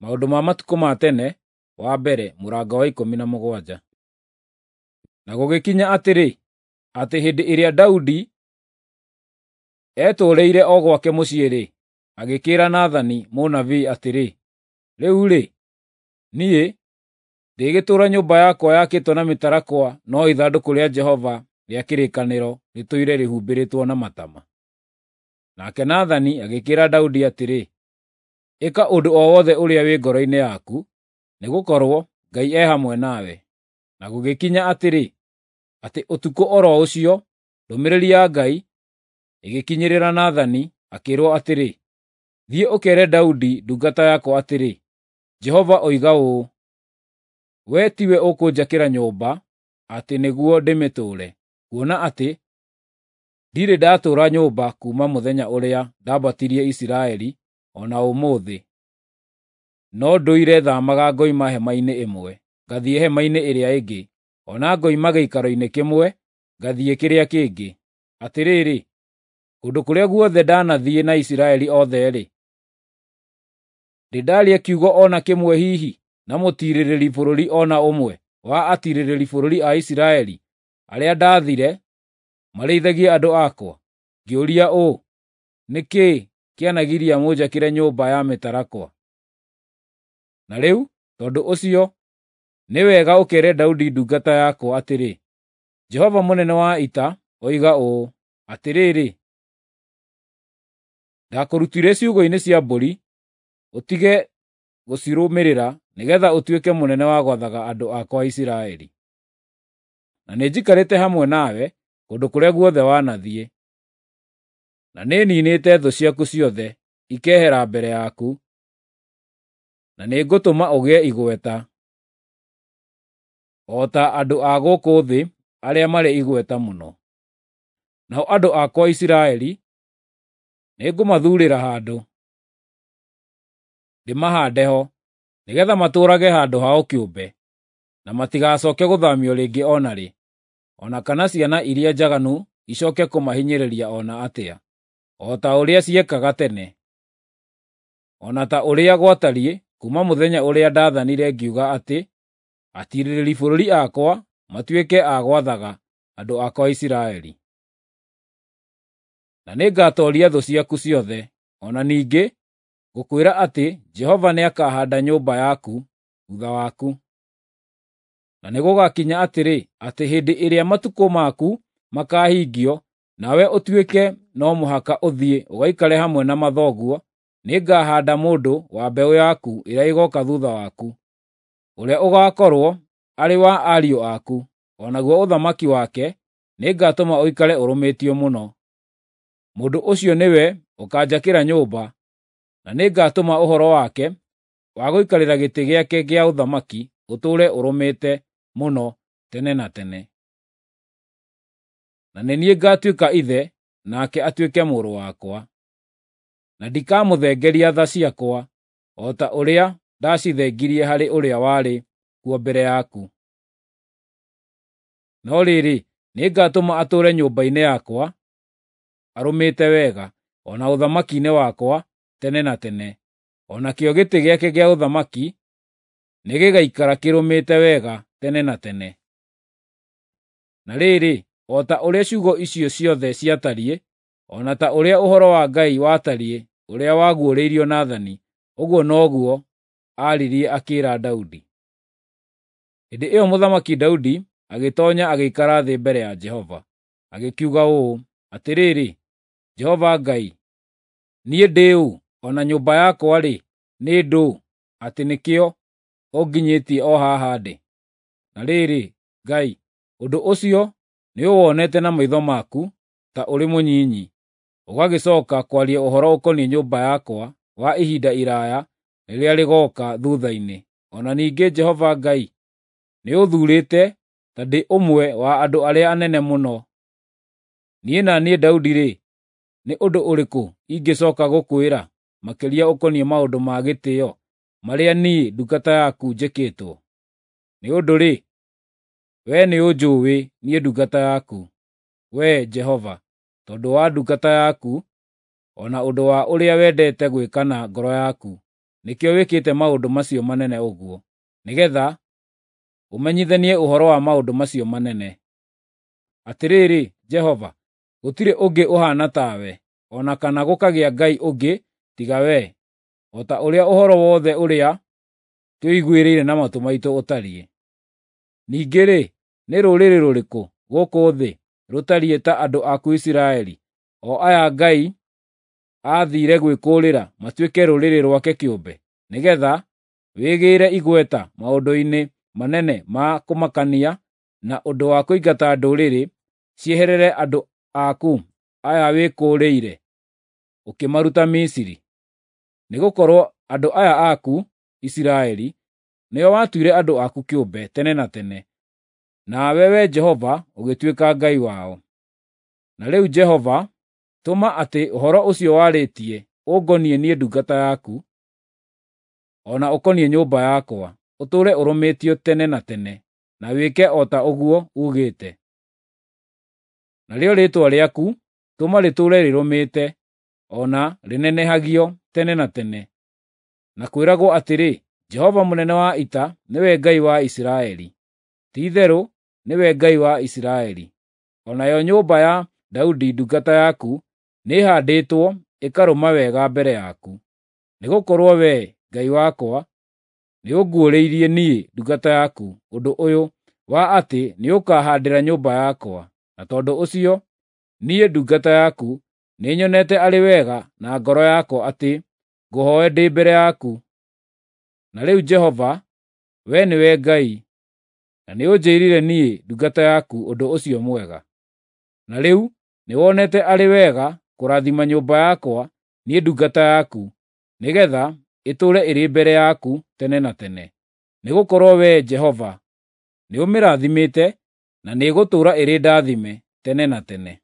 Maũndũ ma Matukũ ma Tene wa mbere mũrango wa 17. Na gũgĩkinya atĩrĩ, atĩ hĩndĩ ĩrĩa Daudi etũũrĩire o gwake mũciĩ-rĩ, agĩkĩĩra Nathani mũnabii atĩrĩ, “Rĩu-rĩ, niĩ ndĩgĩtũũra nyũmba yakwa yakĩtwo na mĩtarakwa, no ithandũkũ rĩa Jehova rĩa kĩrĩkanĩro rĩtũire rĩhumbĩrĩtwo na matama.” Nake Nathani agĩkĩĩra Daudi atĩrĩ, “Ĩka ũndũ o wothe ũrĩa wĩ ngoro-inĩ yaku, nĩgũkorwo Ngai e hamwe nawe.” Na gũgĩkinya atĩrĩ, atĩ ũtukũ o ro ũcio ndũmĩrĩri ya Ngai ĩgĩkinyĩrĩra Nathani, akĩĩrwo atĩrĩ, “Thiĩ ũkeere Daudi ndungata yakwa atĩrĩ, Jehova oiga ũũ: Wee tiwe ũkũnjakĩra nyũmba atĩ nĩguo ndĩmĩtũũre, kuona atĩ ndirĩ ndatũũra nyũmba kuuma mũthenya ũrĩa ndambatirie Isiraeli o na ũmũthĩ, no ndũire thaamaga ngoima hema-inĩ ĩmwe ngathiĩ hema-inĩ ĩrĩa ĩngĩ, o na ngoima gĩikaro-inĩ kĩmwe ngathiĩ kĩrĩa kĩngĩ. Atĩrĩrĩ, kũndũ kũrĩa guothe ndanathiĩ na Isiraeli othe-rĩ, ndĩ ndaaria kiugo o na kĩmwe hihi na mũtiirĩrĩri bũrũri o na ũmwe wa atiirĩrĩri bũrũri a Isiraeli arĩa ndaathire marĩithagie andũ akwa, ngĩũria ũũ, ‘Nĩ kĩĩ kĩanagiria mũnjakĩre nyũmba ya mĩtarakwa?’ Na rĩu tondũ ũcio nĩ wega ũkeere Daudi ndungata yakwa atĩrĩ, ‘Jehova mũnene wa ita oiga ũũ: Atĩrĩrĩ, ndakũrutire ciugũ-inĩ cia mbũri ũtige gũcirũmĩrĩra nĩgeetha ũtuĩke mũnene wa gwathaga andũ akwa a Isiraeli. Na nĩnjikarĩte hamwe nawe kũndũ kũrĩa guothe wanathiĩ, na nĩniinĩte thũ ciaku ciothe ikehera mbere yaku, na nĩngũtũma ũgĩe igweta, o ta andũ a gũkũ thĩ arĩa marĩ igweta mũno. Nao andũ akwa Isiraeli nĩngũmathuurĩra handũ, ndĩmahaande ho, nĩgeetha matũũrage handũ hao kĩũmbe, na matigacooke gũthaamio rĩngĩ o na rĩ, o na kana ciana iria njaganu icooke kũmahinyĩrĩria o na atĩa, o ta ũrĩa ciekaga tene, o na ta ũrĩa gwatariĩ kuuma mũthenya ũrĩa ndaathanire ngiuga atĩ atiirĩrĩri bũrũri akwa matuĩke a gwathaga andũ akwa a Isiraeli. Na nĩngatooria thũ ciaku ciothe. O na ningĩ ngũkwĩra atĩ Jehova nĩakahaanda nyũmba yaku thuutha waku. Na nĩgũgakinya atĩrĩ, atĩ hĩndĩ ĩrĩa matukũ maku makaahingio, nawe ũtuĩke no mũhaka ũthiĩ ũgaikare hamwe na mathoguo, nĩngahaanda mũndũ wa mbeũ yaku ĩrĩa ĩgooka thuutha waku, ũrĩa ũgaakorwo arĩ wa ariũ aku, o naguo ũthamaki wake nĩngatũma ũikare ũrũmĩtio mũno. Mũndũ ũcio nĩwe ũkaanjakĩra nyũmba, na nĩngatũma ũhoro wake wa gũikarĩra gĩtĩ gĩake gĩa ũthamaki ũtũũre ũrũmĩte mũno tene na tene. Na nĩ niĩ ngaatuĩka ithe, nake atuĩke mũrũ wakwa. Na ndikamũthengeria tha ciakwa, o ta ũrĩa ndacithengirie harĩ ũrĩa warĩ kuo mbere yaku. No rĩrĩ, nĩngatũma atũũre nyũmba-inĩ yakwa arũmĩte wega, o na ũthamaki-inĩ wakwa tene na tene. O nakĩo gĩtĩ gĩake gĩa ũthamaki nĩgĩgaikara kĩrũmĩte wega tene na tene. Na rĩrĩ, o ta ũrĩa ciugo icio ciothe ciatariĩ, o na ta ũrĩa ũhoro wa Ngai watariĩ ũrĩa waguũrĩirio Nathani, ũguo noguo aaririe akĩĩra Daudi. Hĩndĩ ĩyo Mũthamaki Daudi agĩtoonya agĩikara thĩ mbere ya Jehova, agĩkiuga ũũ: “Atĩrĩrĩ, Jehova Ngai, niĩ ndĩ ũ, o na nyũmba yakwa-rĩ, nĩ ndũũ, atĩ nĩkĩo ũnginyĩtie o haha ndĩ? Na rĩrĩ, Ngai, ũndũ ũcio nĩũwonete na maitho maku ta ũrĩ mũnyinyi, ũgagĩcooka kwaria ũhoro ũkoniĩ nyũmba yakwa wa ihinda iraaya rĩrĩa rĩgooka thuutha-inĩ. O na ningĩ Jehova Ngai nĩũthuurĩte ta ndĩ ũmwe wa andũ arĩa anene mũno. Niĩ na niĩ Daudi-rĩ, nĩ ũndũ ũrĩkũ ingĩcooka gũkwĩra makĩria ũkoniĩ maũndũ ma gĩtĩĩo marĩa niĩ ndungata yaku njĩkĩtwo? Nĩ ũndũ-rĩ, wee nĩũnjũũĩ niĩ ndungata yaku, Wee Jehova, tondũ wa ndungata yaku, o na ũndũ wa ũrĩa wendete gwĩka na ngoro yaku. nĩkĩo wĩkĩte maũndũ macio manene ũguo, nĩgeetha ũmenyithanie ũhoro wa maũndũ macio manene. Atĩrĩrĩ Jehova, gũtirĩ ũngĩ ũhaana tawe, o na kana gũkagĩa Ngai ũngĩ tiga wee, o ta ũrĩa ũhoro wothe ũrĩa twĩiguĩrĩire na matũ maitũ ũtariĩ. Ningĩ-rĩ, nĩ rũrĩrĩ rũrĩkũ gũkũ thĩ rũtariĩ ta andũ aku Isiraeli, o aya Ngai aathiire gwĩkũũrĩra matuĩke rũrĩrĩ rwake kĩũmbe, nĩgeetha wĩgĩĩre igweta maũndũ-inĩ manene ma kũmakania na ũndũ wa kũingata ndũrĩrĩ cieherere andũ aku aya wĩkũũrĩire ũkĩmaruta Misiri? Nĩgũkorwo andũ aya aku Isiraeli nĩo watuire andũ aku kĩũmbe tene na tene, nawe Wee Jehova ũgĩtuĩka Ngai wao. Na rĩu Jehova, tũma atĩ ũhoro ũcio warĩtie ũngoniĩ niĩ ndungata yaku, o na ũkoniĩ nyũmba yakwa, ũtũũre ũrũmĩtio tene na tene, na wĩke o ta ũguo uugĩte. Narĩo rĩĩtwa rĩaku tũma rĩtũũre rĩrũmĩte, o na rĩnenehagio tene na tene, na kwĩragwo atĩrĩ, ‘Jehova mũnene wa ita nĩwe Ngai wa Isiraeli!’ Ti-itherũ nĩwe Ngai wa Isiraeli. O nayo nyũmba ya Daudi ndungata yaku nĩĩhaandĩtwo ĩkarũma wega mbere yaku. Nĩgũkorwo Wee, Ngai wakwa, nĩũnguũrĩirie niĩ ndungata yaku ũndũ ũyũ wa atĩ nĩũkahaandĩra nyũmba yakwa, na tondũ ũcio niĩ ndungata yaku nĩnyonete arĩ wega na ngoro yakwa atĩ ngũhooe ndĩ mbere yaku. Na rĩu Jehova, Wee nĩwe Ngai, na nĩũnjĩĩrire niĩ ndungata yaku ũndũ ũcio mwega. Na rĩu nĩwonete arĩ wega kũrathima nyũmba yakwa niĩ ndungata yaku, nĩgeetha ĩtũũre ĩrĩ mbere yaku tene na tene. Nĩgũkorwo Wee Jehova nĩũmĩrathimĩte, na nĩĩgũtũũra ĩrĩ ndathime tene na tene.